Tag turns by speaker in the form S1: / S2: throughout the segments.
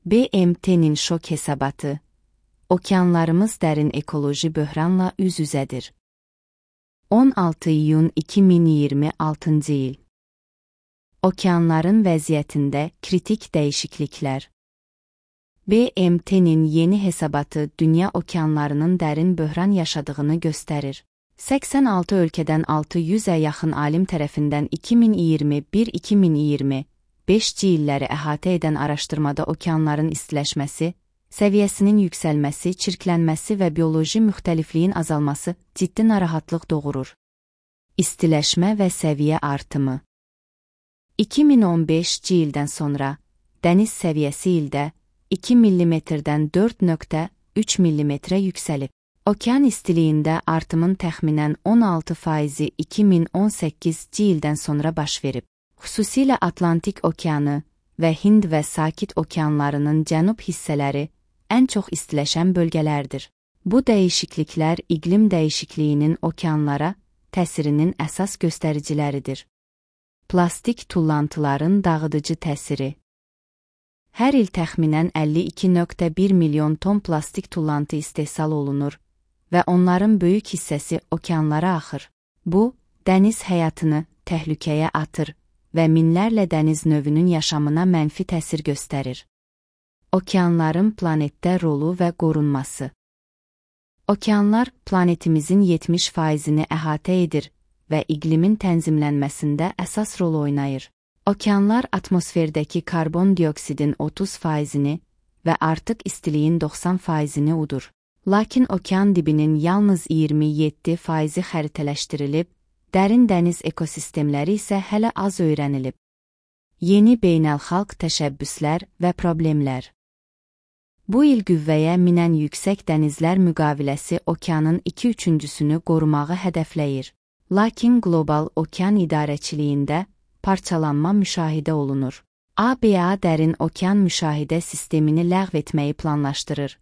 S1: BMT-nin şok hesabatı. Okeanlarımız dərin ekoloji böhranla üz-üzədir. 16 iyun 2026 il. Okeanların vəziyyətində kritik dəyişikliklər. BMT-nin yeni hesabatı dünya okeanlarının dərin böhran yaşadığını göstərir. 86 ölkədən 600-ə yaxın alim tərəfindən 2021-2025 illəri əhatə edən araşdırmada okeanların istiləşməsi, səviyyəsinin yüksəlməsi, çirklənməsi və bioloji müxtəlifliyin azalması ciddi narahatlıq doğurur. İstiləşmə və səviyyə artımı. 2015 ildən sonra dəniz səviyyəsi ildə 2 mm-dən 4,3 mm yüksəlib. Okean istiliyində artımın təxminən 16% 2018 ildən sonra baş verib. Xüsusilə Atlantik okeanı və Hind və Sakit okeanlarının cənub hissələri ən çox istiləşən bölgələrdir. Bu dəyişikliklər iqlim dəyişikliyinin okeanlara təsirinin əsas göstəriciləridir. Plastik tullantıların dağıdıcı təsiri. Hər il təxminən 52,1 milyon ton plastik tullantı istehsal olunur və onların böyük hissəsi okeanlara axır. Bu, dəniz həyatını təhlükəyə atır və minlərlə dəniz növünün yaşamına mənfi təsir göstərir. Okeanların planetdə rolu və qorunması. Okeanlar planetimizin 70%-ni əhatə edir və iqlimin tənzimlənməsində əsas rol oynayır. Okeanlar atmosferdəki karbon dioksidin 30%-ni və artıq istiliyin 90%-ni udur. Lakin okean dibinin yalnız 27%-i xəritələşdirilib, dərin dəniz ekosistemləri isə hələ az öyrənilib. Yeni beynəlxalq təşəbbüslər və problemlər. Bu il qüvvəyə minən yüksək dənizlər müqaviləsi okeanın 2/3-sünü qorumağı hədəfləyir. Lakin qlobal okean idarəçiliyində parçalanma müşahidə olunur. ABA dərin okean müşahidə sistemini ləğv etməyi planlaşdırır.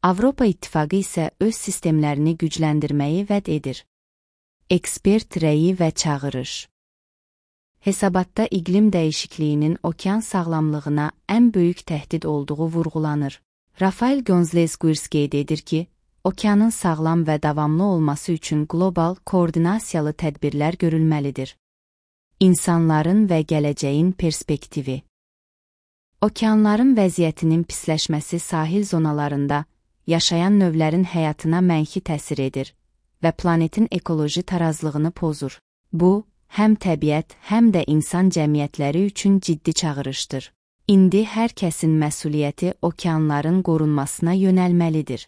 S1: Avropa İttifaqı isə öz sistemlərini gücləndirməyi vəd edir. Ekspert rəyi və çağırış. Hesabatda iqlim dəyişikliyinin okean sağlamlığına ən böyük təhdid olduğu vurğulanır. Rafael Gonzalez qeyd edir ki, okeanın sağlam və davamlı olması üçün qlobal, koordinasiyalı tədbirlər görülməlidir. İnsanların və gələcəyin perspektivi. Okeanların vəziyyətinin pisləşməsi sahil zonalarında yaşayan növlərin həyatına mənfi təsir edir və planetin ekoloji tarazlığını pozur. Bu, həm təbiət, həm də insan cəmiyyətləri üçün ciddi çağırışdır. İndi hər kəsin məsuliyyəti okeanların qorunmasına yönəlməlidir.